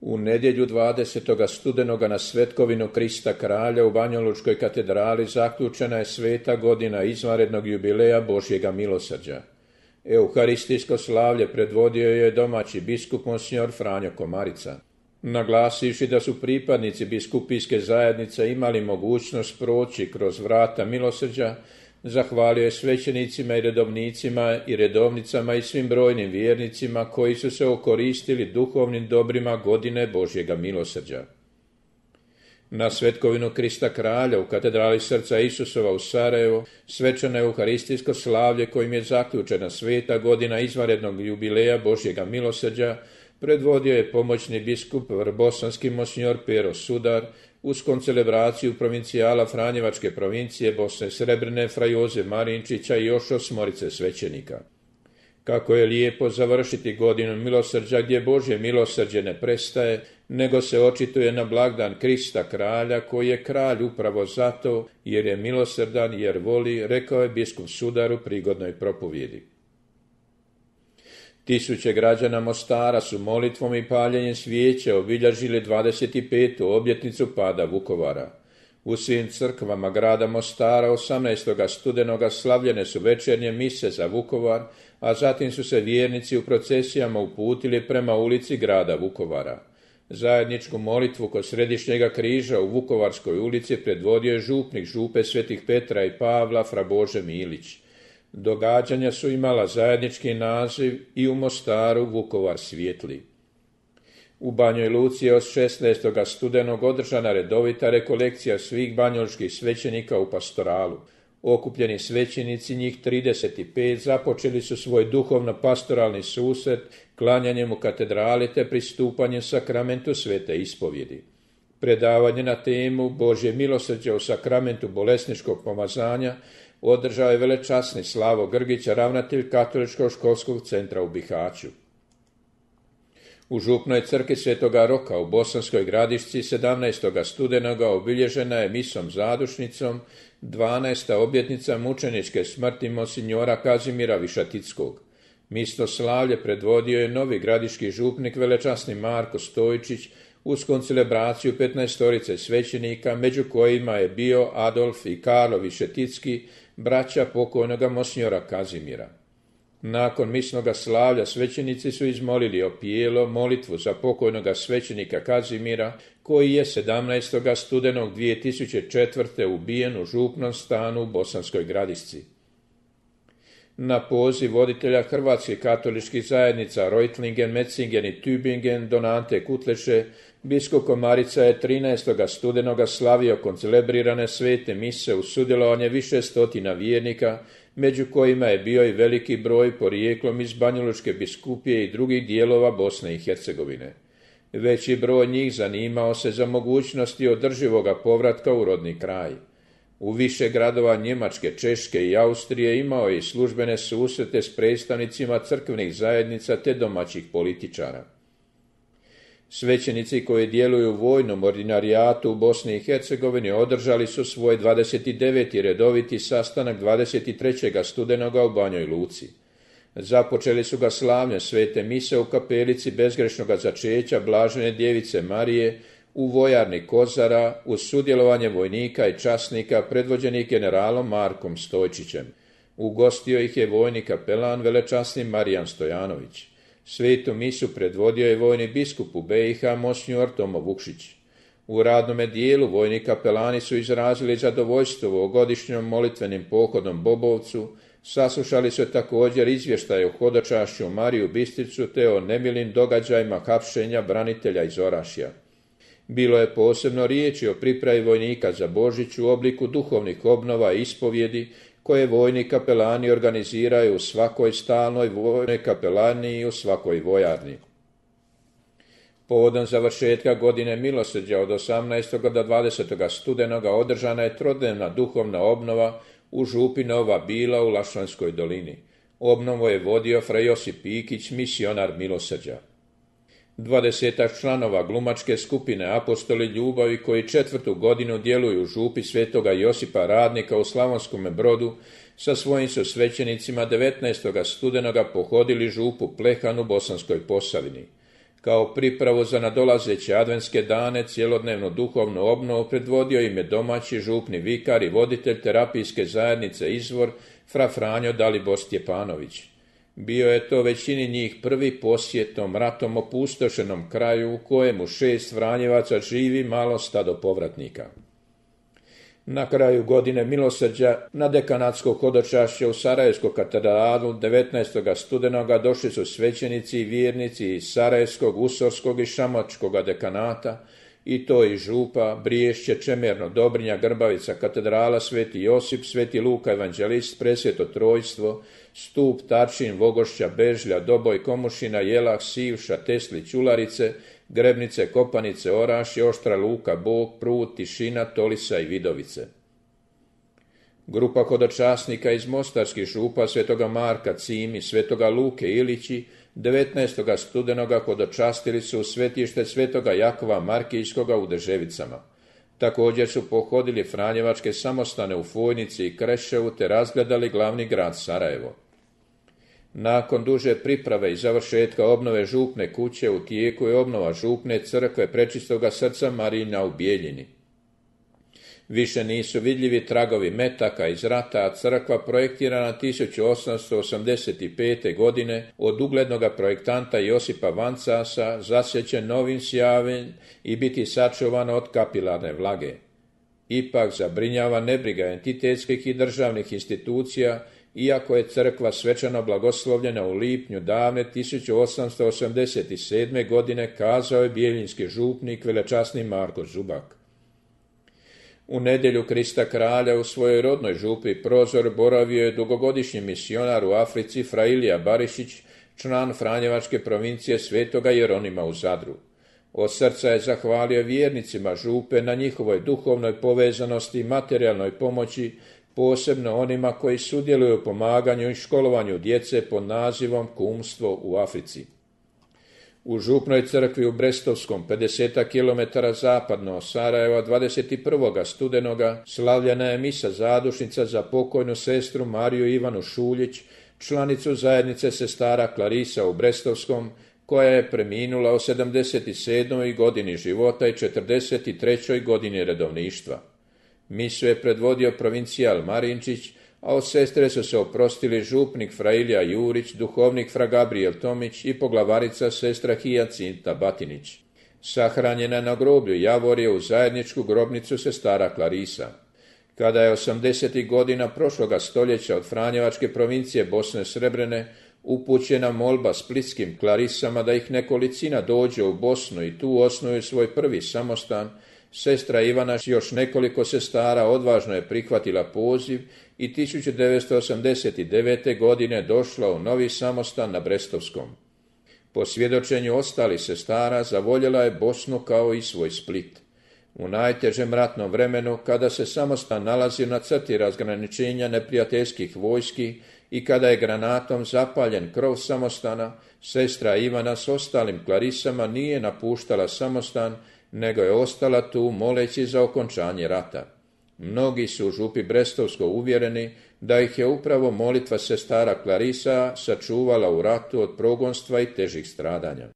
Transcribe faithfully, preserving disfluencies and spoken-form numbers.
U nedjelju dvadesetoga studenoga na svetkovinu Krista kralja u Banjalučkoj katedrali zaključena je sveta godina izvanrednog jubileja Božjega milosrđa. Euharistijsko slavlje predvodio je domaći biskup monsignor Franjo Komarica. Naglasivši da su pripadnici biskupijske zajednice imali mogućnost proći kroz vrata milosrđa, zahvalio je svećenicima i redovnicima i redovnicama i svim brojnim vjernicima koji su se okoristili duhovnim dobrima godine Božjega milosrđa. Na svetkovinu Krista kralja u katedrali Srca Isusova u Sarajevu svečano euharistijsko slavlje kojim je zaključena sveta godina izvanrednog jubileja Božjega milosrđa predvodio je pomoćni biskup vrbosanski monsignor Pero Sudar uz koncelebraciju provincijala Franjevačke provincije Bosne Srebrne fra Joze Marinčića i još osmorice svećenika. Kako je lijepo završiti godinu milosrđa gdje Božje milosrđe ne prestaje, nego se očituje na blagdan Krista kralja koji je kralj upravo zato jer je milosrdan, jer voli, rekao je biskup Sudar u prigodnoj propovjedi. Tisuće građana Mostara su molitvom i paljenjem svijeća obilježili dvadeset petu obljetnicu pada Vukovara. U svim crkvama grada Mostara osamnaestoga studenoga slavljene su večernje mise za Vukovar, a zatim su se vjernici u procesijama uputili prema ulici grada Vukovara. Zajedničku molitvu kod Središnjega križa u Vukovarskoj ulici predvodio je župnik župe Svetih Petra i Pavla fra Bože Milić. Događanja su imala zajednički naziv i u Mostaru Vukovar svijetli. U Banjoj Luci je od šesnaestoga studenog održana redovita rekolekcija svih banjalučkih svećenika u pastoralu. Okupljeni svećenici, njih trideset pet, započeli su svoj duhovno-pastoralni susret klanjanjem u katedrali te pristupanjem sakramentu svete ispovjedi. Predavanje na temu Božje milosrđe u sakramentu bolesničkog pomazanja održao je velečasni Slavo Grgić, ravnatelj Katoličkog školskog centra u Bihaću. U župnoj crkvi Svetoga Roka u Bosanskoj Gradišci sedamnaestoga studenoga obilježena je misom zadušnicom dvanaesta obljetnica mučeničke smrti monsignora Kazimira Višatickog. Misno slavlje predvodio je novi gradiški župnik velečasni Marko Stojčić uz koncelebraciju petnaestorice svećenika, među kojima je bio Adolf i Karlo Višeticki, braća pokojnoga monsignora Kazimira. Nakon misnoga slavlja svećenici su izmolili opijelo molitvu za pokojnoga svećenika Kazimira, koji je sedamnaestoga studenog dvije tisuće četvrte ubijen u župnom stanu u Bosanskoj Gradišci. Na poziv voditelja hrvatskih katoličkih zajednica Reutlingen, Metzingen i Tübingen Don Ante Kutleše, biskup Komarica je trinaestoga studenoga slavio koncelebrirane svete mise u sudjelovanje više stotina vjernika, među kojima je bio i veliki broj porijeklom iz Banjalučke biskupije i drugih dijelova Bosne i Hercegovine. Veći broj njih zanimao se za mogućnosti održivoga povratka u rodni kraj. U više gradova Njemačke, Češke i Austrije imao je i službene susrete s predstavnicima crkvenih zajednica te domaćih političara. Svećenici koji djeluju u vojnom ordinarijatu u Bosni i Hercegovini održali su svoj dvadeset deveti redoviti sastanak dvadeset trećega studenoga u Banjoj Luci. Započeli su ga slavljem svete mise u kapelici bezgrešnoga začeća Blažene djevice Marije u vojarni Kozara uz sudjelovanje vojnika i časnika predvođenih generalom Markom Stojčićem. Ugostio ih je vojni kapelan velečasni Marijan Stojanović. Svetu misu predvodio je vojni biskup u B i H monsignor Tomo Vukšić. U radnome dijelu vojni kapelani su izrazili zadovoljstvo ovogodišnjom molitvenim pohodom Bobovcu, saslušali su također izvještaj o hodočašću Mariju Bistricu te o nemilim događajima hapšenja branitelja iz Orašja. Bilo je posebno riječi o pripravi vojnika za Božić u obliku duhovnih obnova i ispovjedi koje vojni kapelani organiziraju u svakoj stalnoj vojnoj kapelani i u svakoj vojarni. Povodom završetka godine milosrđa od osamnaestoga do dvadesetoga studenoga održana je trodnevna duhovna obnova u župi Nova Bila u Lašćanskoj dolini. Obnovu je vodio fra Josip Pikić, misionar milosrđa. Dvadesetak članova glumačke skupine Apostoli ljubavi koji četvrtu godinu djeluju u župi Svetoga Josipa Radnika u Slavonskome Brodu sa svojim su svećenicima devetnaestoga studenoga pohodili župu Plehan u Bosanskoj Posavini. Kao pripravu za nadolazeće adventske dane cjelodnevnu duhovnu obnovu predvodio im je domaći župni vikar i voditelj terapijske zajednice Izvor, fra Franjo Dalibor Stjepanović. Bio je to većini njih prvi posjet tom ratom opustošenom kraju u kojemu šest Franjevaca živi malo stado povratnika. Na kraju godine milosrđa na dekanatsko hodočašće u Sarajevsku katedralu devetnaestog studenoga došli su svećenici i vjernici iz Sarajevskog, Usorskog i Šamačkog dekanata, i to i Župa, Briješće, Čemerno, Dobrinja, Grbavica, katedrala Sveti Josip, Sveti Luka Evanđelist, Presveto Trojstvo, Stup, Tarčin, Vogošća, Bežlja, Doboj, Komušina, Jelah, Sivša, Teslić, Ularice, Grebnice, Kopanice, Orašje, Oštra Luka, Bog, Prut, Tišina, Tolisa i Vidovice. Grupa hodočasnika iz mostarskih župa Svetoga Marka, Cimi, Svetoga Luke, Ilići, devetnaestog studenoga hodočastili su u svetište Svetoga Jakova Markijskoga u Deževicama. Također su pohodili franjevačke samostane u Fojnici i Kreševu te razgledali glavni grad Sarajevo. Nakon duže priprave i završetka obnove župne kuće u tijeku je obnova župne crkve Prečistoga srca Marijina u Bijeljini. Više nisu vidljivi tragovi metaka iz rata, a crkva projektirana tisuću osamsto osamdeset pete. godine od uglednog projektanta Josipa Vancasa zasjeće novim sjavem i biti sačuvana od kapilarne vlage. Ipak zabrinjava nebriga entitetskih i državnih institucija, iako je crkva svečano blagoslovljena u lipnju davne tisuću osamsto osamdeset sedme. godine, kazao je bijeljinski župnik velečasni Marko Zubak. U nedjelju Krista kralja u svojoj rodnoj župi Prozor boravio je dugogodišnji misionar u Africi fra Ilija Barišić, član Franjevačke provincije Svetoga Jeronima u Zadru. Od srca je zahvalio vjernicima župe na njihovoj duhovnoj povezanosti i materijalnoj pomoći, posebno onima koji sudjeluju u pomaganju i školovanju djece pod nazivom Kumstvo u Africi. U župnoj crkvi u Brestovskom, pedeset kilometara zapadno od Sarajeva, dvadeset prvog studenoga slavljena je misa zadušnica za pokojnu sestru Mariju Ivanu Šuljić, članicu zajednice sestara Klarisa u Brestovskom, koja je preminula u sedamdeset sedmoj godini života i četrdeset trećoj godini redovništva. Misu je predvodio provincijal Marinčić, a od sestre su se oprostili župnik fra Ilija Jurić, duhovnik fra Gabriel Tomić i poglavarica sestra Hijacinta Batinić. Sahranjena na groblju Javorje u zajedničku grobnicu sestara Klarisa. Kada je osamdesetih godina prošloga stoljeća od Franjevačke provincije Bosne Srebrene upućena molba splitskim Klarisama da ih nekolicina dođe u Bosnu i tu osnuju svoj prvi samostan, sestra Ivana s još nekoliko sestara odvažno je prihvatila poziv i tisuću devetsto osamdeset devete. godine došla u novi samostan na Brestovskom. Po svjedočenju ostalih sestara zavoljela je Bosnu kao i svoj Split. U najtežem ratnom vremenu, kada se samostan nalazi na crti razgraničenja neprijateljskih vojski i kada je granatom zapaljen krov samostana, sestra Ivana s ostalim Klarisama nije napuštala samostan, nego je ostala tu moleći za okončanje rata. Mnogi su u župi Brestovsko uvjereni da ih je upravo molitva sestara Klarisa sačuvala u ratu od progonstva i težih stradanja.